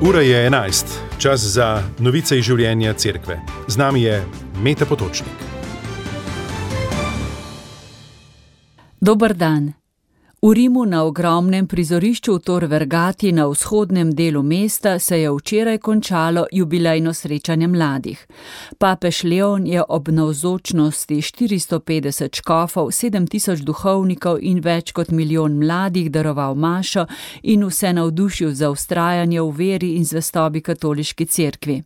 Ura je 11, čas za novice iz življenja cerkve. Z nami je Meta Potočnik. Dober dan. V Rimu na ogromnem prizorišču v Tor Vergati na vzhodnem delu mesta se je včeraj končalo jubilejno srečanje mladih. Papež Leon je ob navzočnosti 450 škofov, 7000 duhovnikov in več kot milijon mladih daroval mašo in vse navdušil za vztrajanje v veri in zvestobi katoliški cerkvi.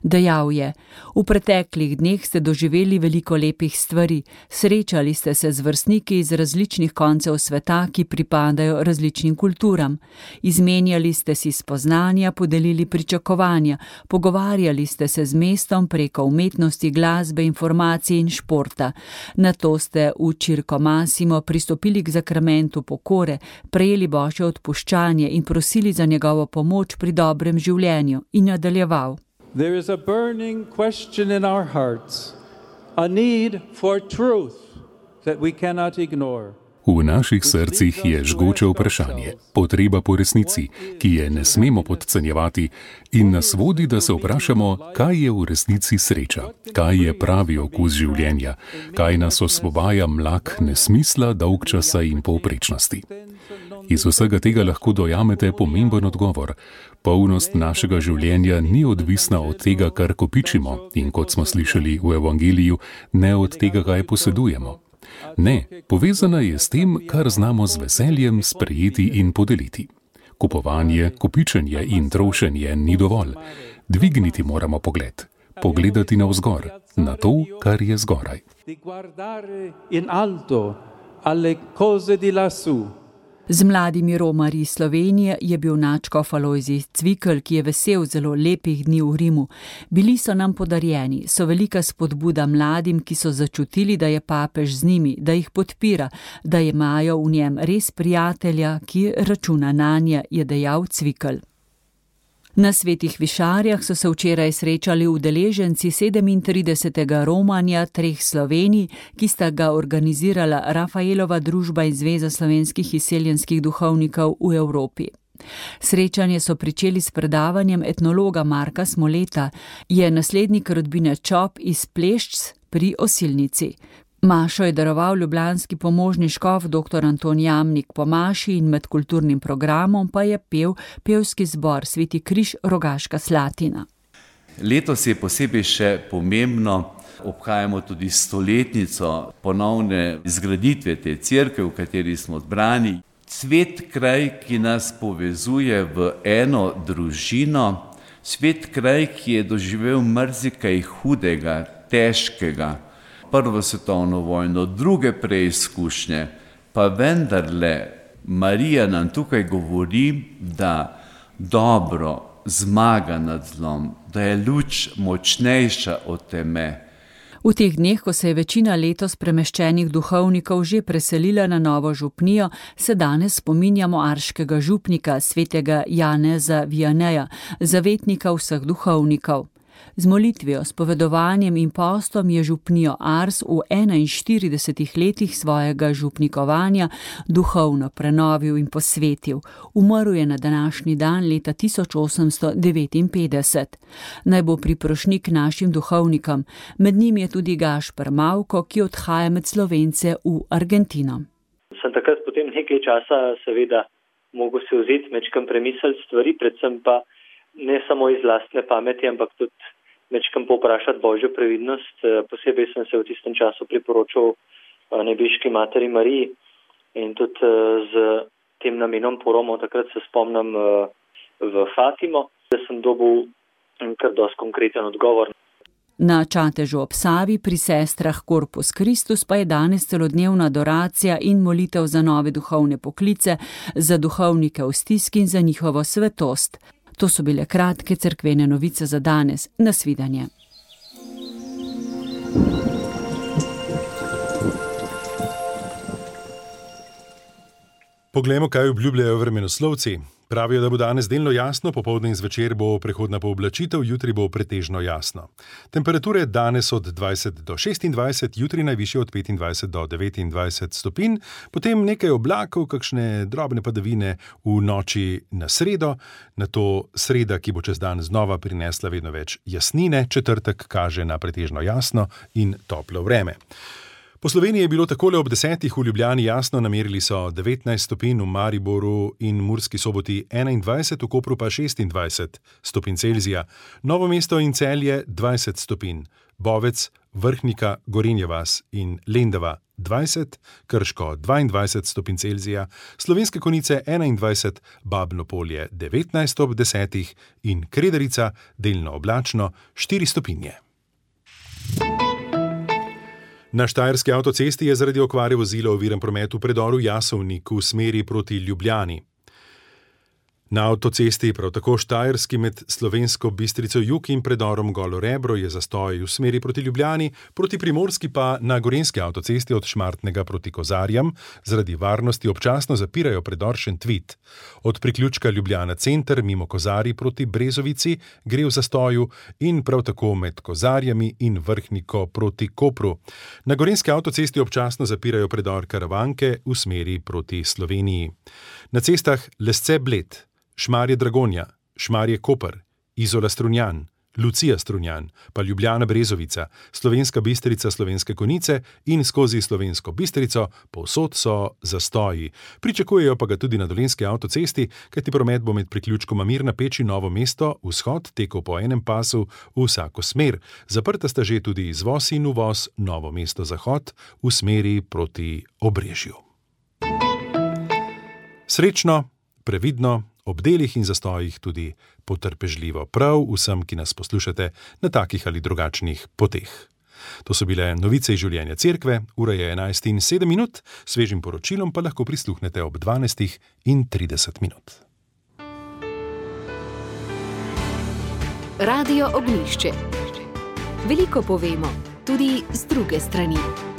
Dejal je: v preteklih dneh ste doživeli veliko lepih stvari, srečali ste se z vrstniki iz različnih koncev sveta, ki pripadajo različnim kulturam. Izmenjali ste si spoznanja, podelili pričakovanja, pogovarjali ste se z mestom preko umetnosti, glasbe, informacij in športa. Nato ste v Circo Massimo pristopili k zakramentu pokore, prejeli Božje odpuščanje in prosili za njegovo pomoč pri dobrem življenju in nadaljeval. There is a burning question in our hearts, a need for truth that we cannot ignore. V naših srcih je žgoče vprašanje, potreba po resnici, ki je ne smemo podcenjevati in nas vodi, da se vprašamo, kaj je v resnici sreča, kaj je pravi okus življenja, kaj nas osvobaja mlak nesmisla, dolgčasa in povprečnosti. Iz vsega tega lahko dojamete pomemben odgovor. Polnost našega življenja ni odvisna od tega, kar kopičimo in, kot smo slišali v evangeliju, ne od tega, kaj posedujemo. Ne, povezana je s tem, kar znamo z veseljem sprejeti in podeliti. Kupovanje, kopičenje in trošenje ni dovolj. Dvigniti moramo pogled, pogledati navzgor, na to, kar je zgoraj. Z mladimi romarji iz Slovenije je bil nadškof Alojzij Cvikl, ki je vesel zelo lepih dni v Rimu. Bili so nam podarjeni, so velika spodbuda mladim, ki so začutili, da je papež z njimi, da jih podpira, da imajo v njem res prijatelja, ki računa nanje, je dejal Cvikl. Na Svetih Višarjah so se včeraj srečali udeleženci 37. romanja 3 Slovenij, ki sta ga organizirala Rafaelova družba in Zveza slovenskih izseljenskih duhovnikov v Evropi. Srečanje so pričeli s predavanjem etnologa Marka Smoleta, je naslednik rodbine Čop iz Plešc pri Osilnici. Mašo je daroval ljubljanski pomožni škof dr. Anton Jamnik po maši in med kulturnim programom pa je pel pevski zbor Sveti križ Rogaška Slatina. Letos je posebej še pomembno, obhajamo tudi 100-letnico ponovne izgraditve te cerkve, v kateri smo zbrani. Svet kraj, ki nas povezuje v eno družino, svet kraj, ki je doživel marsikaj hudega, težkega, Prvo svetovno vojno, druge preizkušnje, pa vendarle Marija nam tukaj govori, da dobro zmaga nad zlom, da je luč močnejša od teme. V teh dneh, ko se je večina letos premeščenih duhovnikov že preselila na novo župnijo, se danes spominjamo arškega župnika, svetega Janeza Vianeja, zavetnika vseh duhovnikov. Z molitvijo, spovedovanjem in postom je župnijo Ars v 41 letih svojega župnikovanja duhovno prenovil in posvetil. Umrl je na današnji dan leta 1859. Naj bo priprošnik našim duhovnikom. Med njim je tudi Gašper Mavko, ki odhaja med Slovence v Argentino. Sem takrat potem nekaj časa seveda mogel se vzeti mečkam premisliti stvari, predvsem pa ne samo iz lastne pameti, ampak tudi mečkam povprašati Božjo previdnost. Posebej sem se v tistem času priporočal nebeški materi Mariji in tudi z tem namenom poromov, takrat se spomnim v Fatimo, da sem dobil kar dosti konkreten odgovor. Na Čatežu ob Savi pri sestrah Corpus Christus pa je danes celodnevna adoracija in molitev za nove duhovne poklice, za duhovnike v stiski in za njihovo svetost. To so bile kratke cerkvene novice za danes. Nasvidenje. Poglejmo, kaj obljubljajo vremenoslovci. Pravijo, da bo danes delno jasno, popoldne in zvečer bo prehodna pooblačitev, jutri bo pretežno jasno. Temperature danes od 20 do 26, jutri najvišje od 25 do 29 stopinj, potem nekaj oblakov, kakšne drobne padavine v noči na sredo, nato sreda, ki bo čez dan znova prinesla vedno več jasnine, četrtek kaže na pretežno jasno in toplo vreme. Po Sloveniji je bilo takole ob 10 v Ljubljani jasno, namerili so 19 stopinj, v Mariboru in Murski Soboti 21, v Kopru pa 26 stopinj Celzija, Novo mesto in Celje 20 stopinj, Bovec, Vrhnika, Gorenja vas in Lendava 20, Krško 22 stopinj Celzija, Slovenske Konjice 21, Babno Polje 19 ob 10 in Kredarica delno oblačno 4 stopinje. Na štajerski avtocesti je zaradi okvare vozila oviran promet v predoru Jasovnik v smeri proti Ljubljani. Na avtocesti, prav tako štajerski med Slovensko Bistrico jug in predorom Golo Rebro je zastoj v smeri proti Ljubljani, proti Primorski pa na gorenjski avtocesti od Šmartnega proti Kozarjam zaradi varnosti občasno zapirajo predor Šentvid. Od priključka Ljubljana center mimo Kozarji proti Brezovici gre v zastoju in prav tako med Kozarjami in Vrhniko proti Kopru. Na gorenjski avtocesti občasno zapirajo predor Karavanke v smeri proti Sloveniji. Na cestah Lesce Bled, Šmarje Dragonja, Šmarje Koper, Izola Strunjan, Lucija Strunjan, pa Ljubljana Brezovica, Slovenska Bistrica, Slovenske Konjice in skozi Slovensko Bistrico povsod so zastoji. Pričakujejo pa ga tudi na dolenjski avtocesti, kajti promet bo med priključkoma Mirna Peči Novo mesto vzhod tekel po enem pasu v vsako smer. Zaprta sta že tudi izvoz in uvoz Novo mesto zahod v smeri proti Obrežju. Srečno, previdno, ob delih in zastojih tudi potrpežljivo prav vsem, ki nas poslušate na takih ali drugačnih poteh. To so bile novice iz življenja cerkve, ura je 11:07, svežim poročilom pa lahko prisluhnete ob 12:30. Radio Ognjišče. Veliko povemo, tudi z druge strani.